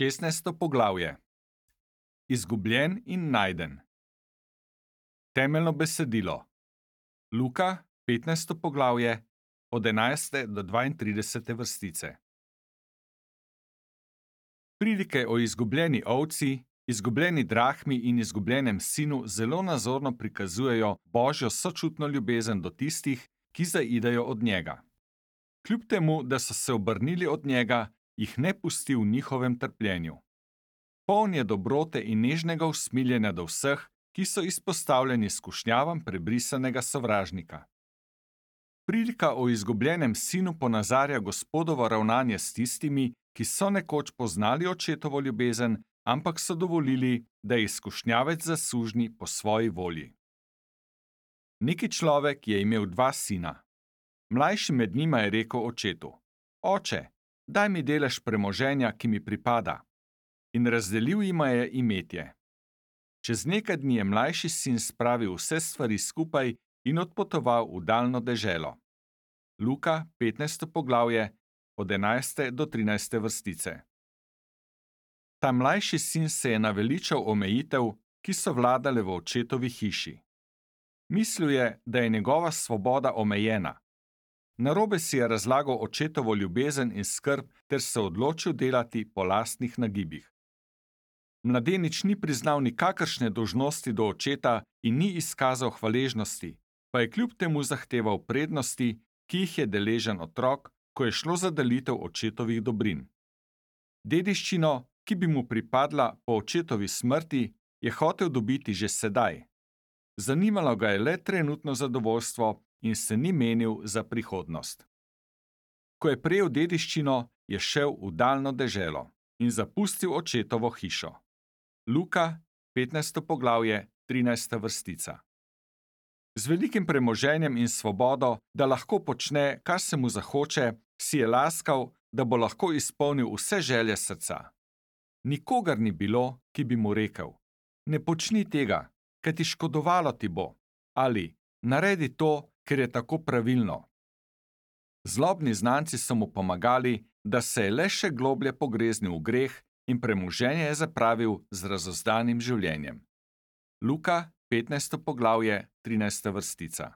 16. poglavje. Izgubljen in najden. Temeljno besedilo. Luka, 15. poglavje, od 11. do 32. vrstice. Prilike o izgubljeni ovci, izgubljeni drahmi in izgubljenem sinu zelo nazorno prikazujejo Božjo sočutno ljubezen do tistih, ki zaidejo od njega. Kljub temu, da so se obrnili od njega, jih ne pusti v njihovem trpljenju. Poln je dobrote in nežnega usmiljenja do vseh, ki so izpostavljeni skušnjavam prebrisanega sovražnika. Prilika o izgubljenem sinu ponazarja Gospodovo ravnanje s tistimi, ki so nekoč poznali očetovo ljubezen, ampak so dovolili, da je skušnjavec zasužnji po svoji volji. Neki človek je imel 2 sina. Mlajši med njima je rekel očetu: Oče, daj mi delež premoženja, ki mi pripada. In razdelil jima je imetje. Čez nekaj dni je mlajši sin spravil vse stvari skupaj in odpotoval v daljno deželo. Luka, 15. poglavje, od 11. do 13. vrstice. Ta mlajši sin se je naveličal omejitev, ki so vladale v očetovi hiši. Mislil je, da je njegova svoboda omejena. Narobe si je razlagal očetovo ljubezen in skrb ter se odločil delati po lastnih nagibih. Mladenič ni priznal nikakršne dolžnosti do očeta in ni izkazal hvaležnosti, pa je kljub temu zahteval prednosti, ki jih je deležen otrok, ko je šlo za delitev očetovih dobrin. Dediščino, ki bi mu pripadla po očetovi smrti, je hotel dobiti že sedaj. Zanimalo ga je le trenutno zadovoljstvo in se ni menil za prihodnost. Ko je prejel dediščino, je šel v daljno deželo in zapustil očetovo hišo. Luka, 15. poglavje, 13. vrstica. Z velikim premoženjem in svobodo, da lahko počne, kar se mu zahoče, si je laskal, da bo lahko izpolnil vse želje srca. Nikogar ni bilo, ki bi mu rekel: Ne počni tega, kaj ti škodovalo ti bo, ali naredi to, ker je tako pravilno. Zlobni znanci so mu pomagali, da se je le še globlje pogreznil v greh in premoženje je zapravil z razozdanim življenjem. Luka, 15. poglavje, 13. vrstica.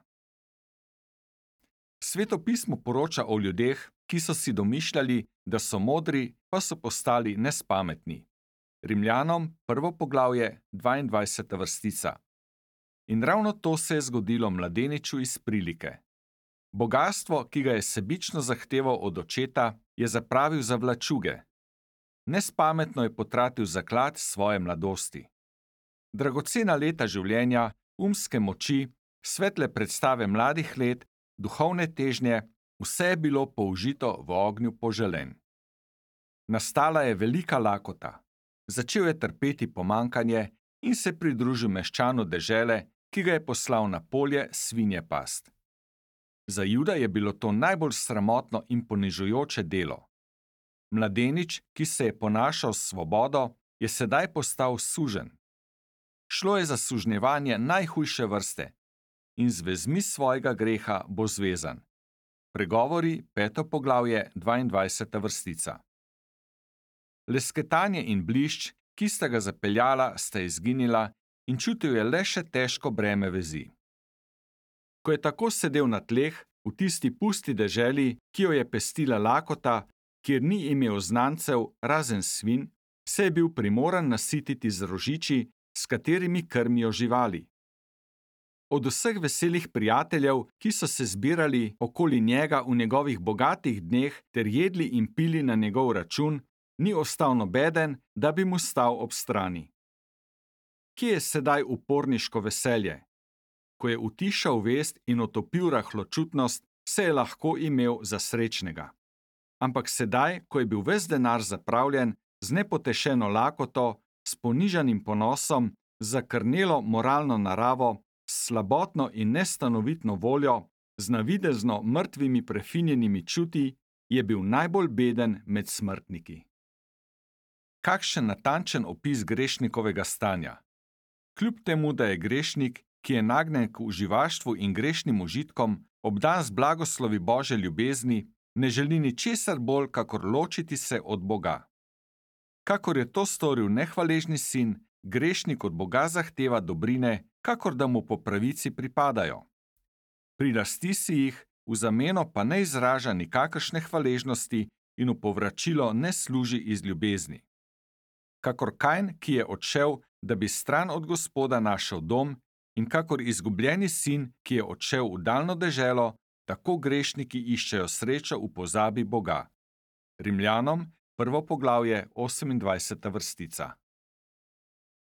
Sveto pismo poroča o ljudeh, ki so si domišljali, da so modri, pa so postali nespametni. Rimljanom, 1. poglavje, 22. vrstica. In ravno to se je zgodilo mladeniču iz prilike. Bogastvo, ki ga je sebično zahteval od očeta, je zapravil za vlačuge. Nespametno je potratil zaklad svoje mladosti. Dragocena leta življenja, umske moči, svetle predstave mladih let, duhovne težnje, vse je bilo použito v ognju poželenj. Nastala je velika lakota. Začel je trpeti pomanjkanje in se pridružil meščanu dežele, ki ga je poslal na polje svinje past. Za Juda je bilo to najbolj sramotno in ponižujoče delo. Mladenič, ki se je ponašal s svobodo, je sedaj postal suženj. Šlo je za sužnjevanje najhujše vrste in z vezmi svojega greha bo zvezan. Pregovori, 5. poglavje, 22. vrstica. Lesketanje in blišč, ki sta ga zapeljala, sta izginila in čutil je le še težko breme vezi. Ko je tako sedel na tleh, v tisti pusti deželi, ki jo je pestila lakota, kjer ni imel znancev razen svin, se je bil primoran nasititi z rožiči, s katerimi krmijo živali. Od vseh veselih prijateljev, ki so se zbirali okoli njega v njegovih bogatih dneh ter jedli in pili na njegov račun, ni ostal nobeden, da bi mu stal ob strani. Kje je sedaj uporniško veselje? Ko je utišal vest in otopil rahločutnost, se je lahko imel za srečnega. Ampak sedaj, ko je bil ves denar zapravljen, z nepotešeno lakoto, s ponižanim ponosom, zakrnelo moralno naravo, s slabotno in nestanovitno voljo, z navidezno mrtvimi prefinjenimi čuti, je bil najbolj beden med smrtniki. Kakšen natančen opis grešnikovega stanja. Kljub temu, da je grešnik, ki je nagnjen k uživaštvu in grešnim užitkom, obdan z blagoslovi Božje ljubezni, ne želi ničesar bolj, kakor ločiti se od Boga. Kakor je to storil nehvaležni sin, grešnik od Boga zahteva dobrine, kakor da mu po pravici pripadajo. Prilasti si jih, v zameno pa ne izraža nikakršne hvaležnosti in v povračilo ne služi iz ljubezni. Kakor Kajn, ki je odšel, da bi stran od Gospoda našel dom, in kakor izgubljeni sin, ki je odšel v daljno deželo, tako grešniki iščejo srečo v pozabi Boga. Rimljanom, 1. poglavje, 28. vrstica.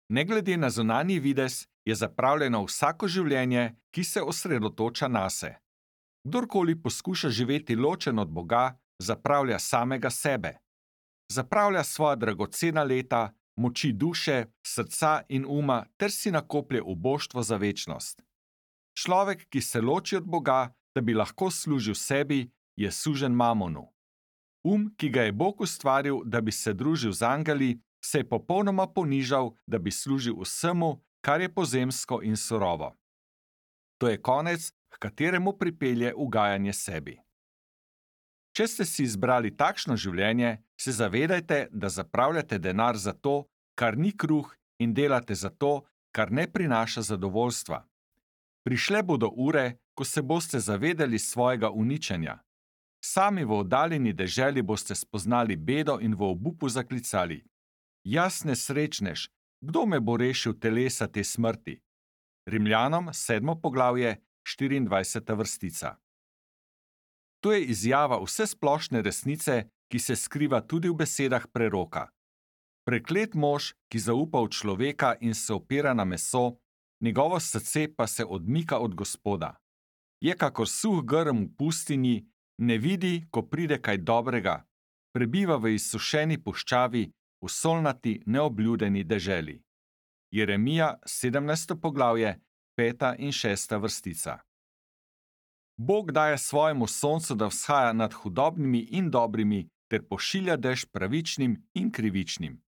Ne glede na zunanji videz, je zapravljeno vsako življenje, ki se osredotoča nase. Kdorkoli poskuša živeti ločen od Boga, zapravlja samega sebe. Zapravlja svoja dragocena leta, moči duše, srca in uma ter si nakoplje uboštvo za večnost. Človek, ki se loči od Boga, da bi lahko služil sebi, je sužen mamonu. Ki ga je Bog ustvaril, da bi se družil z angeli, se je popolnoma ponižal, da bi služil vsemu, kar je pozemsko in surovo. To je konec, h kateremu pripelje ugajanje sebi. Če ste si izbrali takšno življenje, se zavedajte, da zapravljate denar za to, kar ni kruh, in delate za to, kar ne prinaša zadovoljstva. Prišle bodo ure, ko se boste zavedali svojega uničenja. Sami v oddaljeni deželi boste spoznali bedo in v obupu zaklicali: Jaz nesrečnež, kdo me bo rešil telesa te smrti? Rimljanom, 7. poglavje, 24. vrstica. To je izjava vsesplošne resnice, ki se skriva tudi v besedah preroka. Preklet mož, ki zaupa v človeka in se opira na meso, njegovo srce pa se odmika od Gospoda. Je kakor suh grm v pustinji, ne vidi, ko pride kaj dobrega, prebiva v izsušeni puščavi, v solnati, neobljudeni deželi. Jeremija, 17. poglavje, 5. in 6. vrstica. Bog daje svojemu soncu, da vzhaja nad hudobnimi in dobrimi, ter pošilja dež pravičnim in krivičnim.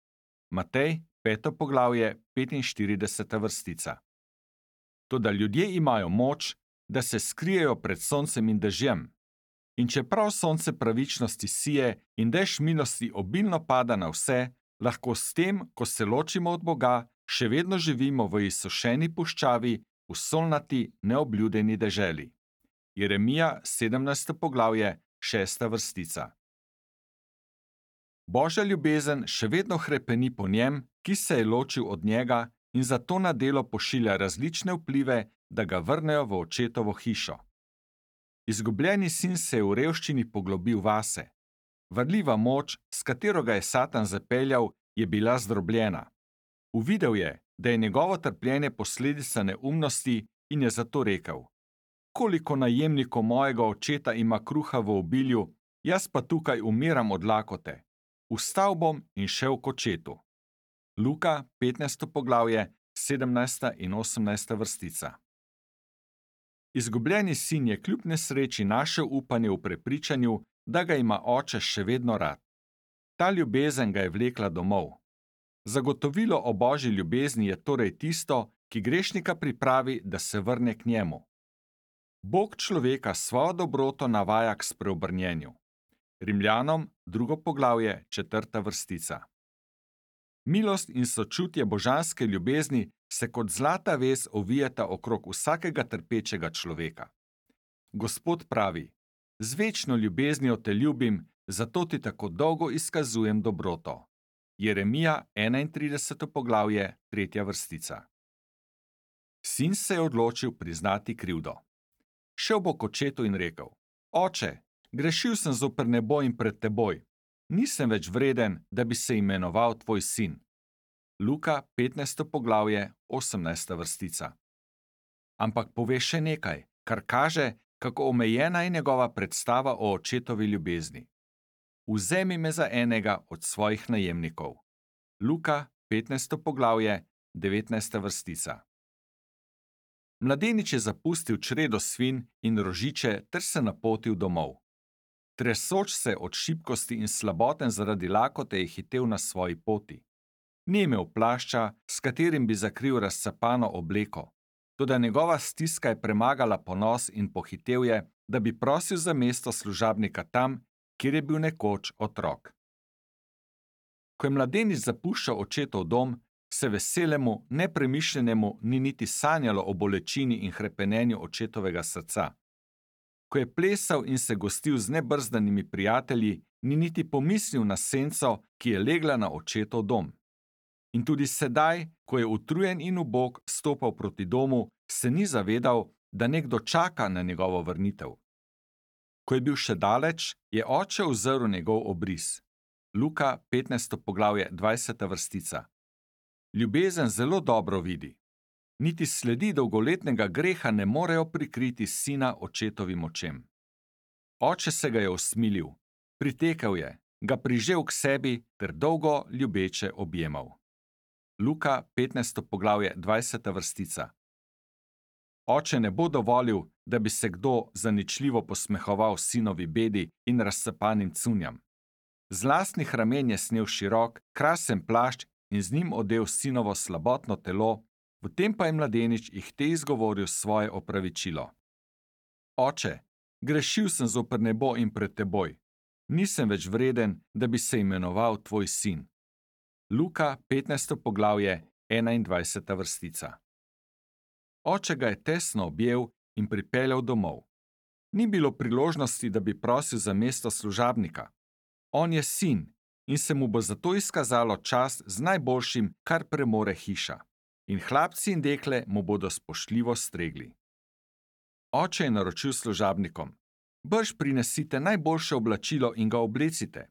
Matej, 5. poglavje, 45. vrstica. Toda ljudje imajo moč, da se skrijejo pred soncem in dežjem. In čeprav sonce pravičnosti sije in dež milosti obilno pada na vse, lahko s tem, ko se ločimo od Boga, še vedno živimo v izsušeni puščavi, v solnati, neobljudeni deželi. Jeremija, 17. poglavje, 6. vrstica. Božja ljubezen še vedno hrepeni po njem, ki se je ločil od njega, in zato na delo pošilja različne vplive, da ga vrnejo v očetovo hišo. Izgubljeni sin se je v revščini poglobil vase. Varljiva moč, s katero ga je Satan zapeljal, je bila zdrobljena. Uvidel je, da je njegovo trpljenje posledica neumnosti, in je zato rekel: Koliko najemnikov mojega očeta ima kruha v obilju, jaz pa tukaj umiram od lakote. Vstal bom in šel k očetu. Luka, 15. poglavje, 17. in 18. vrstica. Izgubljeni sin je kljub nesreči našel upanje v prepričanju, da ga ima oče še vedno rad. Ta ljubezen ga je vlekla domov. Zagotovilo o Božji ljubezni je torej tisto, ki grešnika pripravi, da se vrne k njemu. Bog človeka svojo dobroto navaja k spreobrnjenju. Rimljanom, 2. poglavje, 4. vrstica. Milost in sočutje božanske ljubezni se kot zlata vez ovijeta okrog vsakega trpečega človeka. Gospod pravi: Z večno ljubeznijo te ljubim, zato ti tako dolgo izkazujem dobroto. Jeremija, 31. poglavje, 3. vrstica. Sin se je odločil priznati krivdo. Šel bo k očetu in rekel: Oče, grešil sem zoper nebo in pred teboj. Nisem več vreden, da bi se imenoval tvoj sin. Luka, 15. poglavje, 18. vrstica. Ampak pove še nekaj, kar kaže, kako omejena je njegova predstava o očetovi ljubezni. Vzemi me za enega od svojih najemnikov. Luka, 15. poglavje, 19. vrstica. Mladenič je zapustil čredo svin in rožiče ter se napotil domov. Tresoč se od šibkosti in slaboten zaradi lakote je hitel na svoji poti. Ni imel plašča, s katerim bi zakril razcapano obleko, toda njegova stiska je premagala ponos in pohitel je, da bi prosil za mesto služabnika tam, kjer je bil nekoč otrok. Ko je mladenič zapuščal očetov dom, se veselemu, nepremišljenemu ni niti sanjalo o bolečini in hrepenenju očetovega srca. Ko je plesal in se gostil z nebrzdanimi prijatelji, ni niti pomislil na senco, ki je legla na očetov dom. In tudi sedaj, ko je utrujen in ubog stopal proti domu, se ni zavedal, da nekdo čaka na njegovo vrnitev. Ko je bil še daleč, je oče uzrl njegov obris. Luka 15. poglavje 20. vrstica. Ljubezen zelo dobro vidi. Niti sledi dolgoletnega greha ne morejo prikriti sina očetovim očem. Oče se ga je usmilil, pritekel je, ga prižel k sebi ter dolgo ljubeče objemal. Luka 15. poglavje 20. vrstica. Oče ne bo dovolil, da bi se kdo zaničljivo posmehoval sinovi bedi in razcapanim cunjam. Z lastnih ramen je snel širok, krasen plašč in z njim odel sinovo slabotno telo, potem pa je mladenič ihte izgovoril svoje opravičilo. Oče, grešil sem zoper nebo in pred teboj. Nisem več vreden, da bi se imenoval tvoj sin. Luka 15. poglavje 21. vrstica. Oče ga je tesno objel in pripeljal domov. Ni bilo priložnosti, da bi prosil za mesto služabnika. On je sin in se mu bo zato izkazalo čast z najboljšim, kar premore hiša. In hlapci in dekle mu bodo spoštljivo stregli. Oče je naročil služabnikom: brž prinesite najboljše oblačilo in ga oblecite.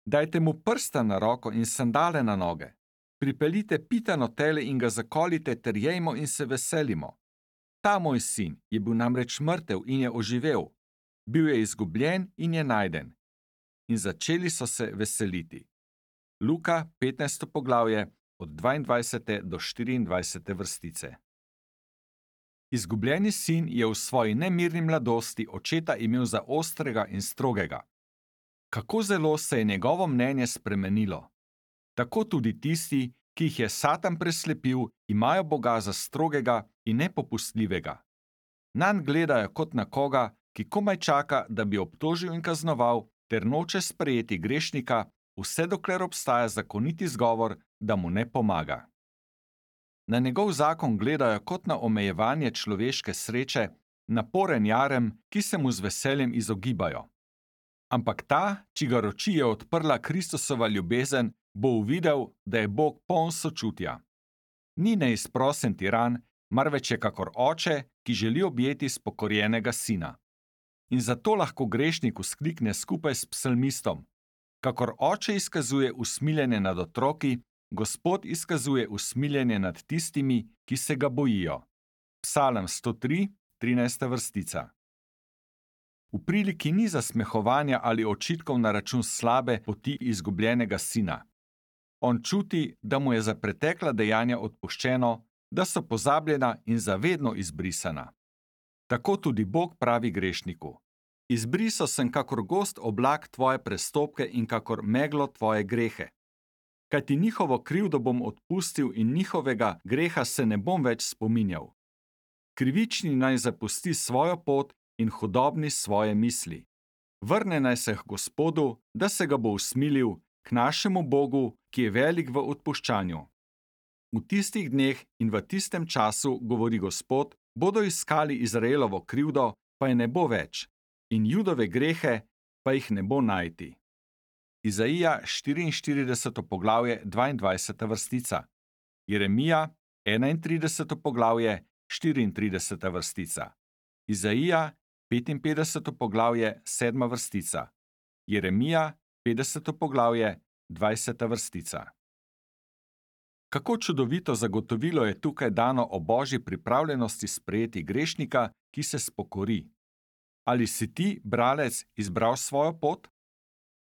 Dajte mu prsta na roko in sandale na noge. Pripeljite pitano tele in ga zakolite ter jejmo in se veselimo. Ta moj sin je bil namreč mrtev in je oživel. Bil je izgubljen in je najden. In začeli so se veseliti. Luka 15. poglavje od 22. do 24. vrstice. Izgubljeni sin je v svoji nemirni mladosti očeta imel za ostrega in strogega. Kako zelo se je njegovo mnenje spremenilo. Tako tudi tisti, ki jih je Satan preslepil, imajo Boga za strogega in nepopustljivega. Nanj gledajo kot na koga, ki komaj čaka, da bi obtožil in kaznoval, ter noče sprejeti grešnika, vse dokler obstaja zakoniti izgovor, da mu ne pomaga. Na njegov zakon gledajo kot na omejevanje človeške sreče, naporen jarem, ki se mu z veseljem izogibajo. Ampak ta, čigar oči je odprla Kristusova ljubezen, bo uvidel, da je Bog poln sočutja. Ni neizprosen tiran, marveč je kakor oče, ki želi objeti spokorjenega sina. In zato lahko grešnik vzklikne skupaj s psalmistom: kakor oče izkazuje usmiljenje nad otroki, Gospod izkazuje usmiljenje nad tistimi, ki se ga bojijo. Psalm 103, 13. vrstica. V priliki ni zasmehovanja ali očitkov na račun slabe poti izgubljenega sina. On čuti, da mu je za pretekla dejanja odpuščeno, da so pozabljena in zavedno izbrisana. Tako tudi Bog pravi grešniku: izbrisal sem kakor gost oblak tvoje prestopke in kakor meglo tvoje grehe. Kajti njihovo krivdo bom odpustil in njihovega greha se ne bom več spominjal. Krivični naj zapusti svojo pot in hudobni svoje misli. Vrne naj se k Gospodu, da se ga bo usmilil, k našemu Bogu, ki je velik v odpuščanju. V tistih dneh in v tistem času, govori Gospod, bodo iskali Izraelovo krivdo, pa je ne bo več, in Judove grehe, pa jih ne bo najti. Izaija 44. poglavje 22. vrstica. Jeremija 31. poglavje 34. vrstica. Izaija 55. poglavje 7. vrstica. Jeremija 50. poglavje 20. vrstica. Kako čudovito zagotovilo je tukaj dano o Božji pripravljenosti sprejeti grešnika, ki se spokori. Ali si ti, bralec, izbral svojo pot?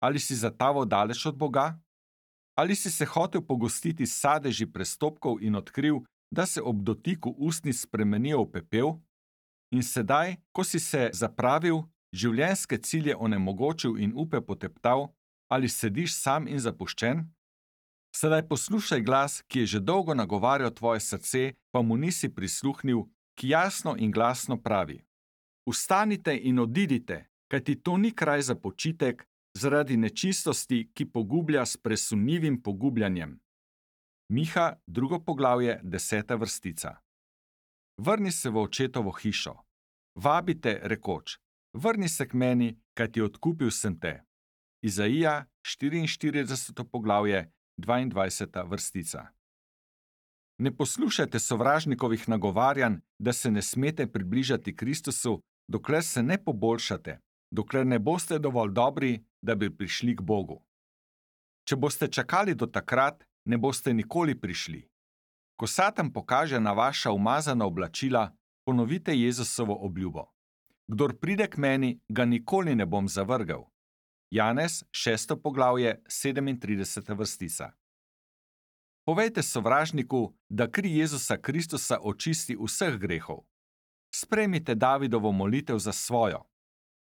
Ali si zataval daleč od Boga? Ali si se hotel pogostiti s sadeži prestopkov in odkril, da se ob dotiku ustnic spremenijo v pepel? In sedaj, ko si se zapravil, življenjske cilje onemogočil in upe poteptal, ali sediš sam in zapuščen? Sedaj poslušaj glas, ki je že dolgo nagovarjal tvoje srce, pa mu nisi prisluhnil, ki jasno in glasno pravi: Vstanite in odidite, kajti to ni kraj za počitek, zaradi nečistosti, ki pogublja s presunljivim pogubljanjem. Miha, 2. poglavje, 10. vrstica. Vrni se v očetovo hišo. Vabite, rekoč, vrni se k meni, kajti odkupil sem te. Izaija, 44. poglavje, 22. vrstica. Ne poslušajte sovražnikovih nagovarjanj, da se ne smete približati Kristusu, dokler se ne poboljšate, dokler ne boste dovolj dobri, da bi prišli k Bogu. Če boste čakali do takrat, ne boste nikoli prišli. Ko Satan pokaže na vaša umazana oblačila, ponovite Jezusovo obljubo. Kdor pride k meni, ga nikoli ne bom zavrgel. Janez, 6. poglavje, 37. vrstica. Povejte sovražniku, da kri Jezusa Kristusa očisti vseh grehov. Sprejmite Davidovo molitev za svojo.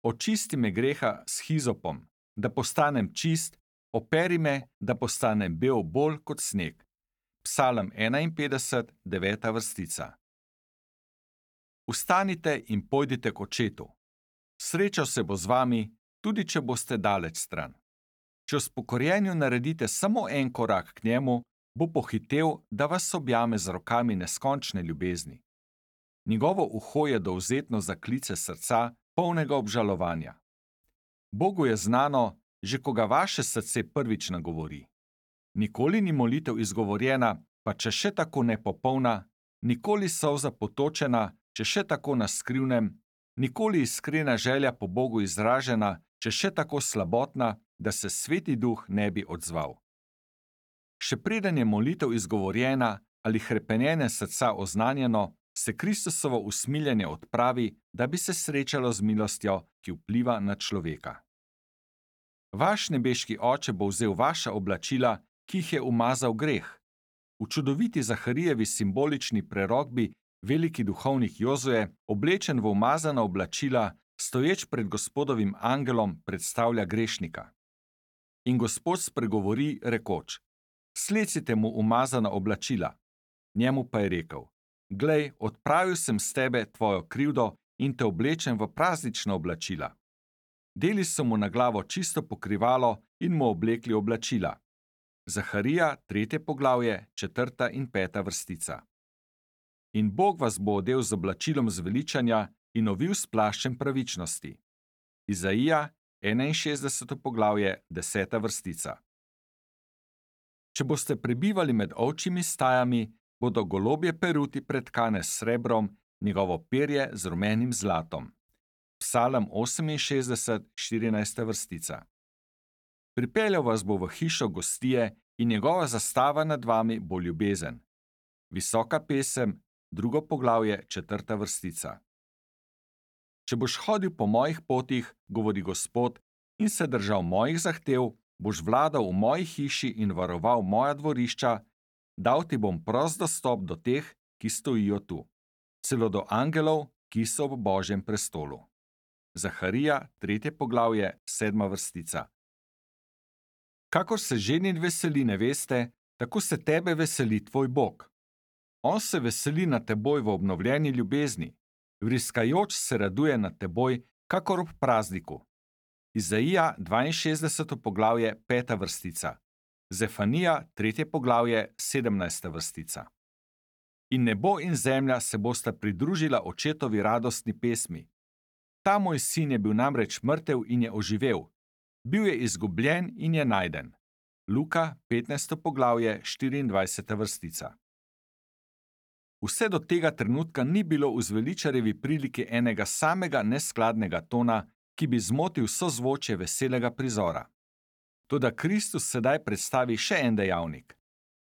Očisti me greha s hizopom, da postanem čist, operi me, da postanem bel bolj kot sneg. Psalm 51, 9. vrstica. Vstanite in pojdite k očetu. Srečal se bo z vami, tudi če boste daleč stran. Če v spokorjenju naredite samo en korak k njemu, bo pohitel, da vas objame z rokami neskončne ljubezni. Njegovo uho je dovzetno za klice srca, polnega obžalovanja. Bogu je znano, že ko ga vaše srce prvič nagovori. Nikoli ni molitev izgovorjena, pa če še tako nepopolna, nikoli solza potočena, če še tako na skrivnem, nikoli iskrena želja po Bogu izražena, če še tako slabotna, da se Sveti Duh ne bi odzval. Še preden je molitev izgovorjena ali hrepenjenje srca oznanjeno, se Kristusovo usmiljenje odpravi, da bi se srečalo z milostjo, ki vpliva na človeka. Vaš nebeški Oče bo vzel vaša oblačila, ki jih je umazal greh. V čudoviti Zaharijevi simbolični prerokbi veliki duhovnik Jozue, oblečen v umazana oblačila, stoječ pred Gospodovim angelom, predstavlja grešnika. In Gospod spregovori, rekoč: Slecite mu umazana oblačila. Njemu pa je rekel: Glej, odpravil sem s tebe tvojo krivdo in te oblečem v praznična oblačila. Deli so mu na glavo čisto pokrivalo in mu oblekli oblačila. Zaharija, 3. poglavje, 4. in 5. vrstica. In Bog vas bo odel z oblačilom zveličanja in ovil s plaščem pravičnosti. Izaija, 61. poglavje, 10. vrstica. Če boste prebivali med ovčjimi stajami, bodo golobje peruti pretkane s srebrom, njegovo perje z rumenim zlatom. Psalm 68, 14. vrstica. Pripeljal vas bo v hišo gostije in njegova zastava nad vami bo ljubezen. Visoka pesem, 2. poglavje, 4. vrstica. Če boš hodil po mojih potih, govori Gospod, in se držal mojih zahtev, boš vladal v moji hiši in varoval moja dvorišča, dal ti bom prost dostop do teh, ki stojijo tu, celo do angelov, ki so ob Božjem prestolu. Zaharija, 3. poglavje, 7. vrstica. Kakor se ženin veseli neveste, tako se tebe veseli tvoj Bog. On se veseli nad teboj v obnovljeni ljubezni, vriskajoč se raduje nad teboj, kakor ob prazniku. Izaija, 62. poglavje, 5. vrstica. Zefanija, 3. poglavje, 17. vrstica. In nebo in zemlja se bosta pridružila očetovi radostni pesmi. Ta moj sin je bil namreč mrtev in je oživel. Bil je izgubljen in je najden. Luka, 15. poglavje, 24. vrstica. Vse do tega trenutka ni bilo v zveličarjevi priliki enega samega neskladnega tona, ki bi zmotil sozvočje veselega prizora. Toda Kristus sedaj predstavi še en dejavnik.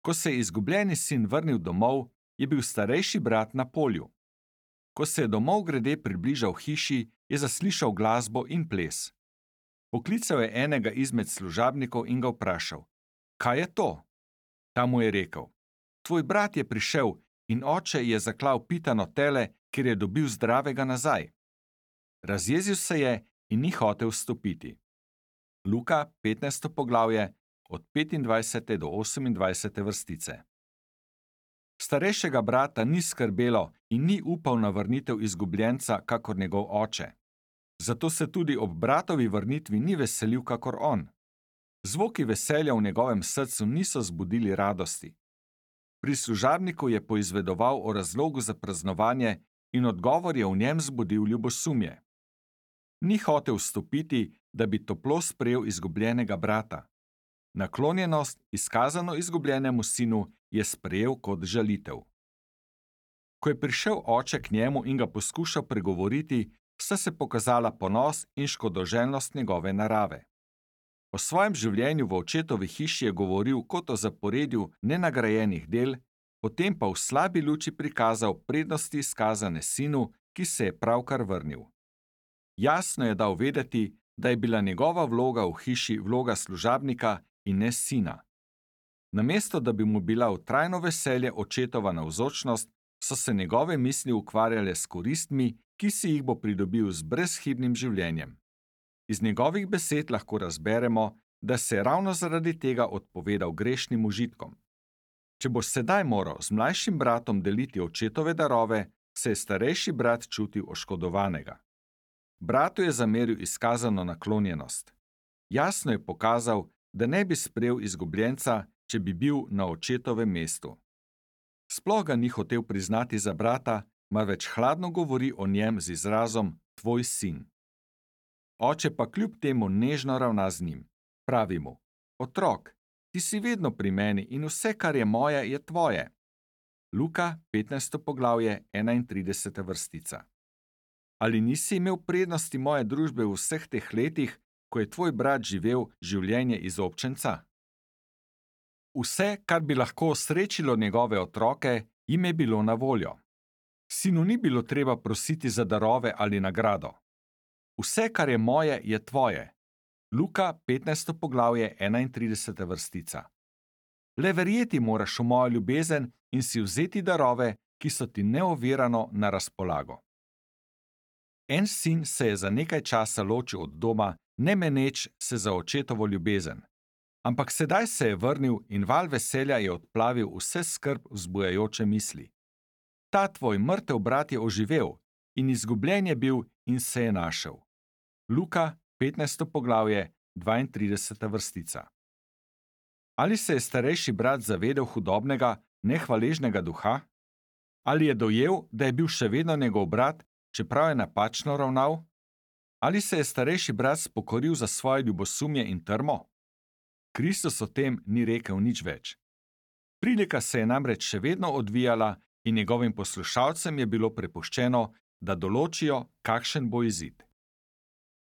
Ko se je izgubljeni sin vrnil domov, je bil starejši brat na polju. Ko se je domov grede približal hiši, je zaslišal glasbo in ples. Poklical je enega izmed služabnikov in ga vprašal: Kaj je to? Ta mu je rekel: Tvoj brat je prišel in oče je zaklal pitano tele, ker je dobil zdravega nazaj. Razjezil se je in ni hotel vstopiti. Luka, 15. poglavje, od 25. do 28. vrstice. Starejšega brata ni skrbelo in ni upal na vrnitev izgubljenca, kakor njegov oče. Zato se tudi ob bratovi vrnitvi ni veselil kakor on. Zvoki veselja v njegovem srcu niso zbudili radosti. Pri služabniku je poizvedoval o razlogu za praznovanje in odgovor je v njem zbudil ljubosumje. Ni hotel vstopiti, da bi toplo sprejel izgubljenega brata. Naklonjenost, izkazano izgubljenemu sinu, je sprejel kot žalitev. Ko je prišel oče k njemu in ga poskušal pregovoriti, sta se pokazala ponos in škodoželjnost njegove narave. O svojem življenju v očetovi hiši je govoril kot o zaporedju nenagrajenih del, potem pa v slabi luči prikazal prednosti izkazane sinu, ki se je pravkar vrnil. Jasno je dal vedeti, da je bila njegova vloga v hiši vloga služabnika in ne sina. Namesto da bi mu bila v trajno veselje očetova navzočnost, so se njegove misli ukvarjale s koristmi, ki si jih bo pridobil z brezhibnim življenjem. Iz njegovih besed lahko razberemo, da se je ravno zaradi tega odpovedal grešnim užitkom. Če bo sedaj moral z mlajšim bratom deliti očetove darove, se je starejši brat čutil oškodovanega. Bratu je zameril izkazano naklonjenost. Jasno je pokazal, da ne bi sprejel izgubljenca, če bi bil na očetovem mestu. Sploh ga ni hotel priznati za brata, marveč hladno govori o njem z izrazom tvoj sin. Oče pa kljub temu nežno ravna z njim. Pravi mu: otrok, ti si vedno pri meni in vse, kar je moje, je tvoje. Luka, 15. poglavje, 31. vrstica. Ali nisi imel prednosti moje družbe v vseh teh letih, ko je tvoj brat živel življenje izobčenca? Vse, kar bi lahko osrečilo njegove otroke, jim je bilo na voljo. Sinu ni bilo treba prositi za darove ali nagrado. Vse, kar je moje, je tvoje. Luka, 15. poglavje, 31. vrstica. Le verjeti moraš v mojo ljubezen in si vzeti darove, ki so ti neovirano na razpolago. En sin se je za nekaj časa ločil od doma, ne meneč se za očetovo ljubezen. Ampak sedaj se je vrnil in val veselja je odplavil vse skrb vzbujajoče misli. Ta tvoj mrtev brat je oživel in izgubljen je bil in se je našel. Luka, 15. poglavje, 32. vrstica. Ali se je starejši brat zavedel hudobnega, nehvaležnega duha? Ali je dojel, da je bil še vedno njegov brat, čeprav je napačno ravnal? Ali se je starejši brat spokoril za svoje ljubosumje in trmo? Kristus o tem ni rekel nič več. Prilika se je namreč še vedno odvijala in njegovim poslušalcem je bilo prepuščeno, da določijo, kakšen bo izid.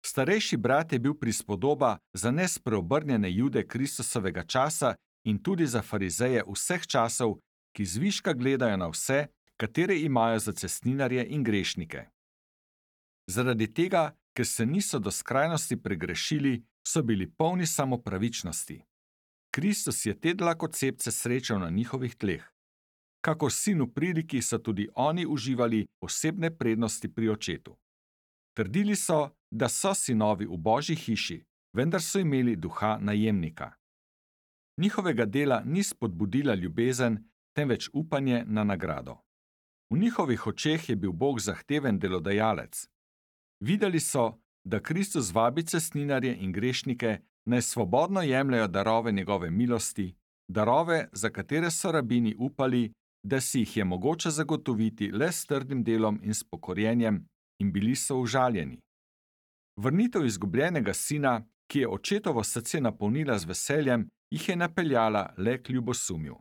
Starejši brat je bil prispodoba za nespreobrnjene Jude Kristusovega časa in tudi za farizeje vseh časov, ki zviška gledajo na vse, katere imajo za cestninarje in grešnike. Zaradi tega, ker se niso do skrajnosti pregrešili, so bili polni samopravičnosti. Kristus je te dlakocepce srečal na njihovih tleh. Kakor sin v priliki so tudi oni uživali posebne prednosti pri očetu. Trdili so, da so sinovi v Božji hiši, vendar so imeli duha najemnika. Njihovega dela ni spodbudila ljubezen, temveč upanje na nagrado. V njihovih očeh je bil Bog zahteven delodajalec. Videli so, da Kristus vabi cestninarje in grešnike, naj svobodno jemljejo darove njegove milosti, darove, za katere so rabini upali, da si jih je mogoče zagotoviti le s trdim delom in s pokorjenjem, in bili so užaljeni. Vrnitev izgubljenega sina, ki je očetovo srce napolnila z veseljem, jih je napeljala le k ljubosumju.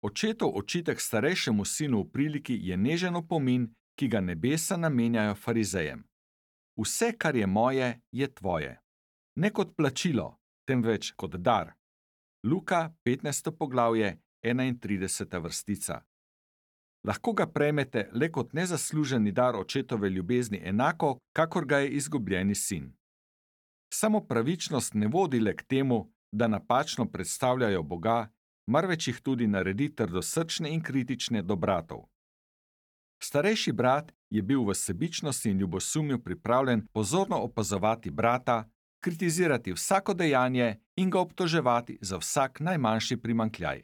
Očetov očitek starejšemu sinu v priliki je nežen opomin, ki ga nebesa namenjajo farizejem. Vse, kar je moje, je tvoje. Ne kot plačilo, temveč kot dar. Luka, 15. poglavje, 31. vrstica. Lahko ga prejmete le kot nezasluženi dar očetove ljubezni enako, kakor ga je izgubljeni sin. Samo pravičnost ne vodi le k temu, da napačno predstavljajo Boga, marveč jih tudi naredi trdosrčne in kritične do bratov. Starejši brat je bil v sebičnosti in ljubosumju pripravljen pozorno opazovati brata, kritizirati vsako dejanje in ga obtoževati za vsak najmanjši primanjkljaj.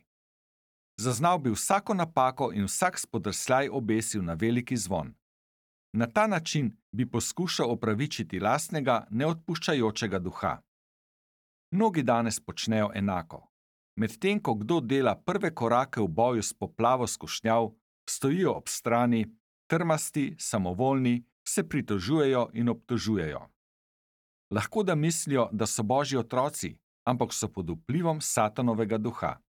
Zaznal bi vsako napako in vsak spodrsljaj obesil na veliki zvon. Na ta način bi poskušal opravičiti lastnega neodpuščajočega duha. Mnogi danes počnejo enako. Medtem ko kdo dela prve korake v boju s poplavo skušnjav, stojijo ob strani, trmasti, samovoljni, se pritožujejo in obtožujejo. Lahko da mislijo, da so Božji otroci, ampak so pod vplivom Satanovega duha.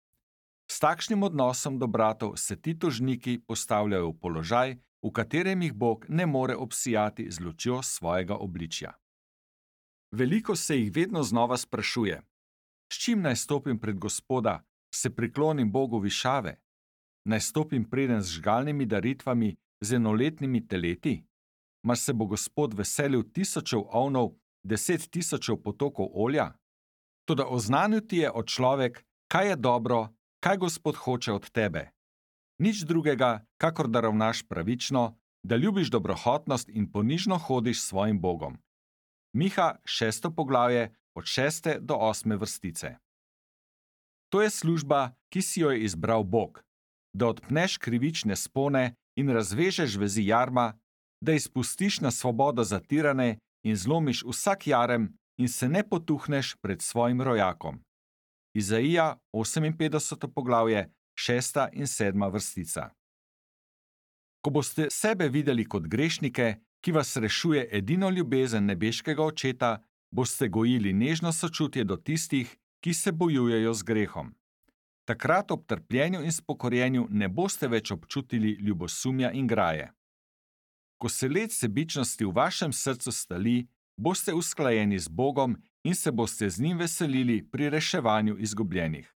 S takšnim odnosom do bratov se ti tožniki postavljajo v položaj, v katerem jih Bog ne more obsijati z lučjo svojega obličja. Veliko se jih vedno znova sprašuje: s čim naj stopim pred Gospoda, se priklonim Bogu višave? Naj stopim preden z žgalnimi daritvami, z enoletnimi teleti? Mar se bo Gospod veselil tisočev ovnov, 10.000 potokov olja? Toda oznanil ti je, o človek, kaj je dobro, kaj Gospod hoče od tebe. Nič drugega, kakor da ravnaš pravično, da ljubiš dobrohotnost in ponižno hodiš s svojim Bogom. Miha, 6. poglavje, od 6. do 8. vrstice. To je služba, ki si jo je izbral Bog, da odpneš krivične spone in razvežeš vezi jarma, da izpustiš na svobodo zatirane in zlomiš vsak jarem in se ne potuhneš pred svojim rojakom. Izaija, 58. poglavje, 6. in 7. vrstica. Ko boste sebe videli kot grešnike, ki vas rešuje edino ljubezen nebeškega Očeta, boste gojili nežno sočutje do tistih, ki se bojujejo z grehom. Takrat ob trpljenju in spokorjenju ne boste več občutili ljubosumja in graje. Ko se led sebičnosti v vašem srcu stali, boste usklajeni z Bogom in se boste z njim veselili pri reševanju izgubljenih.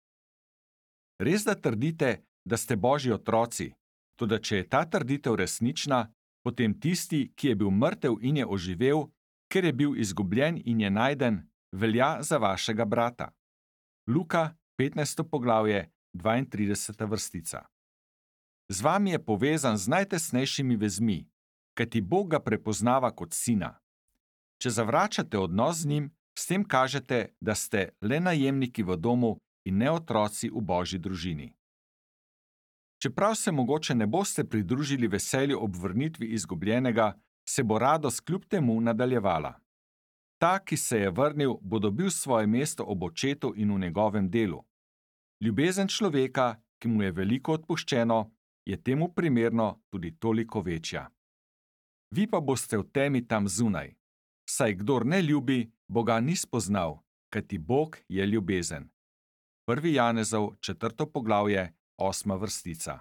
Res da trdite, da ste Božji otroci, toda če je ta trditev resnična, potem tisti, ki je bil mrtev in je oživel, ker je bil izgubljen in je najden, velja za vašega brata. Luka, 15. poglavje, 32. vrstica. Z vami je povezan z najtesnejšimi vezmi, kajti Bog ga prepoznava kot sina. Če zavračate odnos z njim, s tem kažete, da ste le najemniki v domu in ne otroci v Božji družini. Čeprav se mogoče ne boste pridružili veselju ob vrnitvi izgubljenega, se bo radost kljub temu nadaljevala. Ta, ki se je vrnil, bo dobil svoje mesto ob Očetu in v njegovem delu. Ljubezen človeka, ki mu je veliko odpuščeno, je temu primerno tudi toliko večja. Vi pa boste v temi tam zunaj. Saj kdor ne ljubi, Boga ni spoznal, kajti Bog je ljubezen. 1. Janezov, 4. poglavje, 8. vrstica.